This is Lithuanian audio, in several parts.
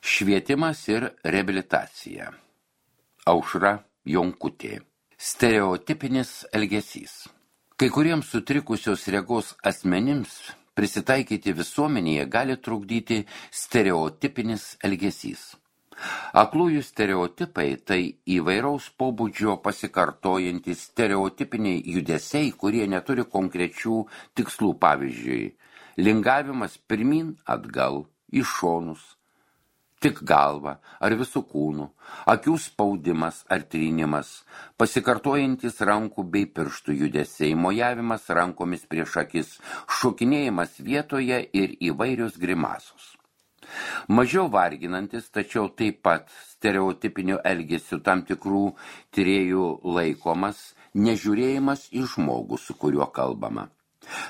Švietimas ir reabilitacija. Aušra Jonkutė. Stereotipinis elgesys. Kai kuriems sutrikusios regos asmenims prisitaikyti visuomenėje gali trukdyti stereotipinis elgesys. Aklųjų stereotipai tai įvairaus pobūdžio pasikartojantys stereotipiniai judesiai, kurie neturi konkrečių tikslų, pavyzdžiui, lingavimas pirmin atgal, į šonus, tik galva ar visų kūnų, akių spaudimas ar trynimas, pasikartojantis rankų bei pirštų judesiai, mojavimas rankomis prieš akis, šokinėjimas vietoje ir įvairios grimasos. Mažiau varginantis, tačiau taip pat stereotipinio elgesio tam tikrų tyrėjų laikomas nežiūrėjimas į žmogų, su kuriuo kalbama.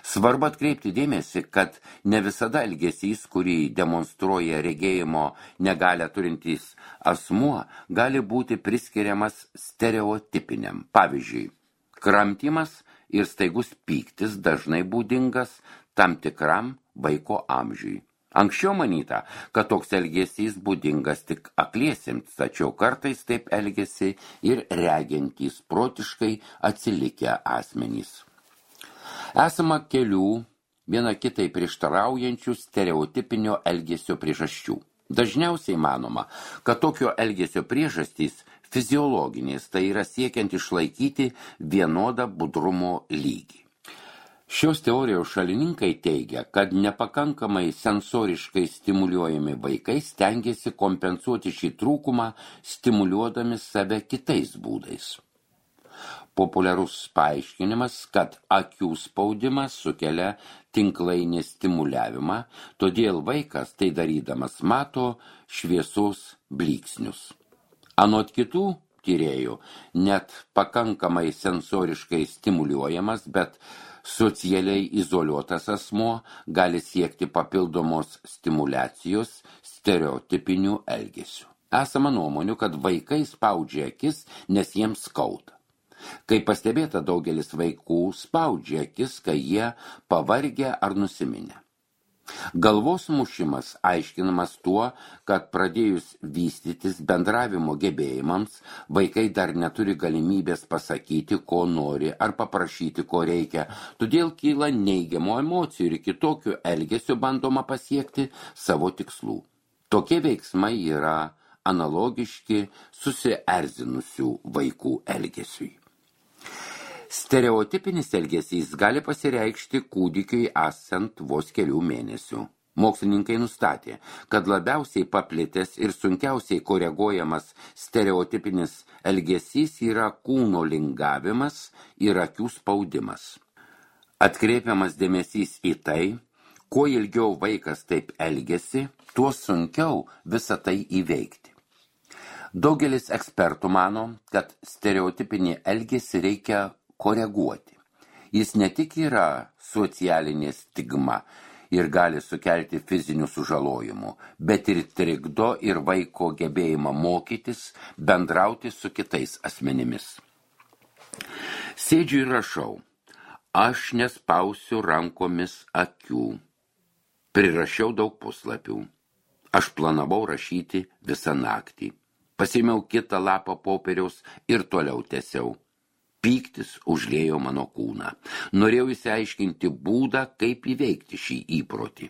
Svarbu atkreipti dėmesį, kad ne visada elgesys, kurį demonstruoja regėjimo negalią turintys asmuo, gali būti priskiriamas stereotipiniam. Pavyzdžiui, kramtymas ir staigus pyktis dažnai būdingas tam tikram vaiko amžiui. Anksčiau manyta, kad toks elgesys būdingas tik akliesiems, tačiau kartais taip elgesi ir regiantys protiškai atsilikę asmenys. Esama kelių viena kitai prieštaraujančių stereotipinio elgesio priežasčių. Dažniausiai manoma, kad tokio elgesio priežastys fiziologinės, tai yra siekiant išlaikyti vienodą budrumo lygį. Šios teorijos šalininkai teigia, kad nepakankamai sensoriškai stimuliuojami vaikai stengiasi kompensuoti šį trūkumą, stimuliuodami save kitais būdais. Populiarus paaiškinimas, kad akių spaudimas sukelia tinklainės stimuliavimą, todėl vaikas tai darydamas mato šviesos blyksnius. Anot kitų tyrėjų, net pakankamai sensoriškai stimuliuojamas, bet socialiai izoliuotas asmuo gali siekti papildomos stimulacijos stereotipinių elgesių. Esama nuomonių, kad vaikai spaudžia akis, nes jiems skauda. Kaip pastebėta, daugelis vaikų spaudžia akis, kai jie pavargę ar nusiminę. Galvos mušimas aiškinamas tuo, kad pradėjus vystytis bendravimo gebėjimams, vaikai dar neturi galimybės pasakyti, ko nori ar paprašyti, ko reikia, todėl kyla neigiamų emocijų ir kitokių elgesio bandoma pasiekti savo tikslų. Tokie veiksmai yra analogiški susierzinusių vaikų elgesiui. Stereotipinis elgesys gali pasireikšti kūdikiui esant vos kelių mėnesių. Mokslininkai nustatė, kad labiausiai paplitęs ir sunkiausiai koreguojamas stereotipinis elgesys yra kūno lingavimas ir akių spaudimas. Atkreipiamas dėmesys į tai, kuo ilgiau vaikas taip elgiasi, tuo sunkiau visą tai įveikti. Daugelis ekspertų mano, kad stereotipinį elgesį reikia koreguoti. Jis ne tik yra socialinė stigma ir gali sukelti fizinių sužalojimų, bet ir trikdo ir vaiko gebėjimą mokytis, bendrauti su kitais asmenimis. Sėdžiu ir rašau, aš nespausiu rankomis akių. Prirašiau daug puslapių. Aš planavau rašyti visą naktį. Pasiėmiau kitą lapą popieriaus ir toliau tęsiau. Pyktis užliejo mano kūną. Norėjau įsiaiškinti būdą, kaip įveikti šį įprotį.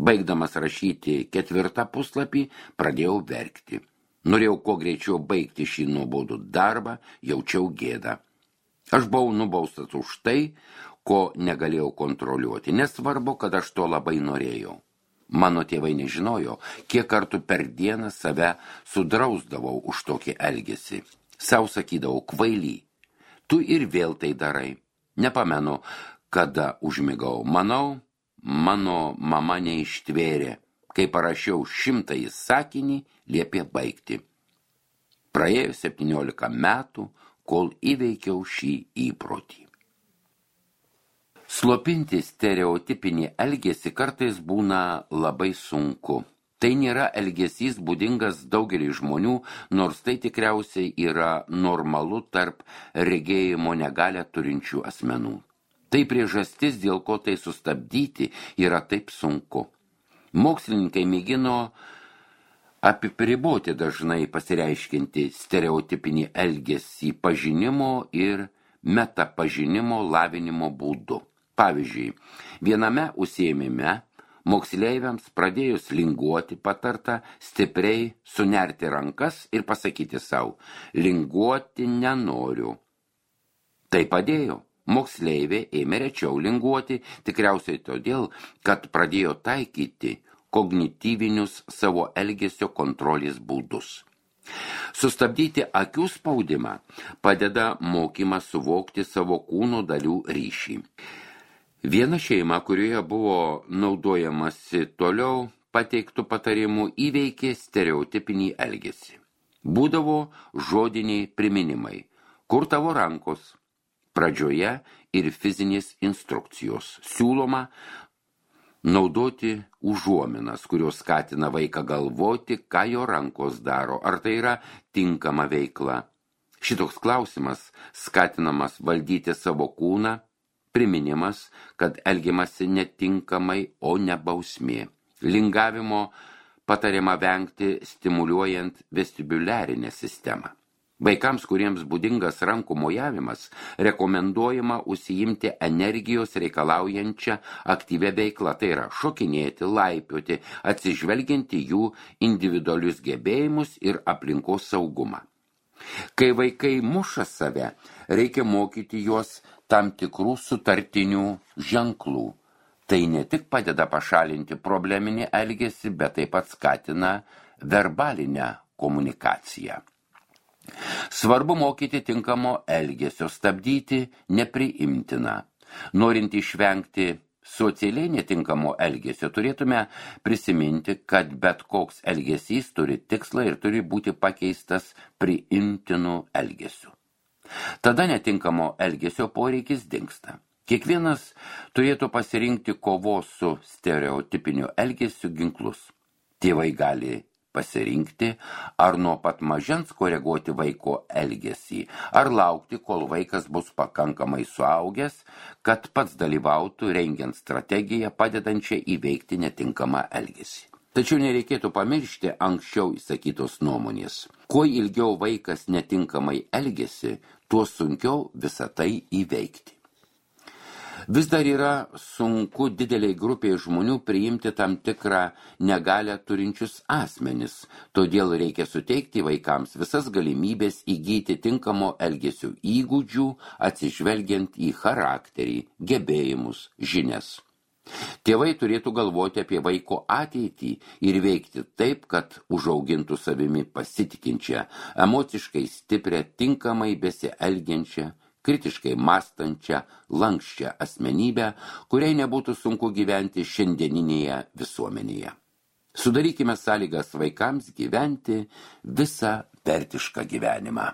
Baigdamas rašyti 4 puslapį, pradėjau verkti. Norėjau kuo greičiau baigti šį nuobodų darbą, jaučiau gėdą. Aš buvau nubaustas už tai, ko negalėjau kontroliuoti. Nesvarbu, kad aš to labai norėjau. Mano tėvai nežinojo, kiek kartų per dieną save sudrausdavau už tokį elgesį. Sau sakydavau, kvaily. Tu ir vėl tai darai. Nepamenu, kada užmigau. Manau, mano mama neištvėrė. Kai parašiau 100 sakinį, liepė baigti. Praėjo 17 metų, kol įveikiau šį įprotį. Slopinti stereotipinį elgesį kartais būna labai sunku. Tai nėra elgesys būdingas daugelį žmonių, nors tai tikriausiai yra normalu tarp regėjimo negalią turinčių asmenų. Tai priežastis, dėl ko tai sustabdyti, yra taip sunku. Mokslininkai mėgino Apriboti dažnai pasireiškinti stereotipinį elgesį pažinimo ir metapažinimo lavinimo būdu. Pavyzdžiui, viename užsiėmime moksleiviams pradėjus linguoti patarta stipriai sunerti rankas ir pasakyti savo, linguoti nenoriu. Tai padėjo. Moksleivė ėmė rečiau linguoti, tikriausiai todėl, kad pradėjo taikyti kognityvinius savo elgesio kontrolės būdus. Sustabdyti akių spaudimą padeda mokymas suvokti savo kūno dalių ryšį. Viena šeima, kurioje buvo naudojamasi toliau pateiktų patarimų, įveikė stereotipinį elgesį. Būdavo žodiniai priminimai, kur tavo rankos, pradžioje ir fizinės instrukcijos. Siūloma naudoti užuominas, kurios skatina vaiką galvoti, ką jo rankos daro, ar tai yra tinkama veikla. Šitoks klausimas skatinamas valdyti savo kūną, priminimas, kad elgiamasi netinkamai, o ne bausmė. Lingavimo patariama vengti stimuliuojant vestibuliarinę sistemą. Vaikams, kuriems būdingas rankų mojavimas, rekomenduojama užsiimti energijos reikalaujančią aktyvią veiklą, tai yra šokinėti, laipioti, atsižvelgianti jų individualius gebėjimus ir aplinkos saugumą. Kai vaikai muša save, reikia mokyti juos tam tikrų sutartinių ženklų. Tai ne tik padeda pašalinti probleminį elgesį, bet taip pat skatina verbalinę komunikaciją. Svarbu mokyti tinkamo elgesio, stabdyti nepriimtiną. Norint išvengti socialiai netinkamo elgesio, turėtume prisiminti, kad bet koks elgesys turi tikslą ir turi būti pakeistas priimtinu elgesiu. Tada netinkamo elgesio poreikis dingsta. Kiekvienas turėtų pasirinkti kovos su stereotipiniu elgesiu ginklus. Tėvai gali pasirinkti, ar nuo pat mažens koreguoti vaiko elgesį, ar laukti, kol vaikas bus pakankamai suaugęs, kad pats dalyvautų rengiant strategiją padedančią įveikti netinkamą elgesį. Tačiau nereikėtų pamiršti anksčiau įsakytos nuomonės. Kuo ilgiau vaikas netinkamai elgesi, tuo sunkiau visą tai įveikti. Vis dar yra sunku dideliai grupiai žmonių priimti tam tikrą negalią turinčius asmenis, todėl reikia suteikti vaikams visas galimybės įgyti tinkamo elgesio įgūdžių, atsižvelgiant į charakterį, gebėjimus, žinias. Tėvai turėtų galvoti apie vaiko ateitį ir veikti taip, kad užaugintų savimi pasitikinčią, emociškai stiprią, tinkamai besielgiančią, kritiškai mąstančią, lanksčią asmenybę, kuriai nebūtų sunku gyventi šiandieninėje visuomenėje. Sudarykime sąlygas vaikams gyventi visą vertišką gyvenimą.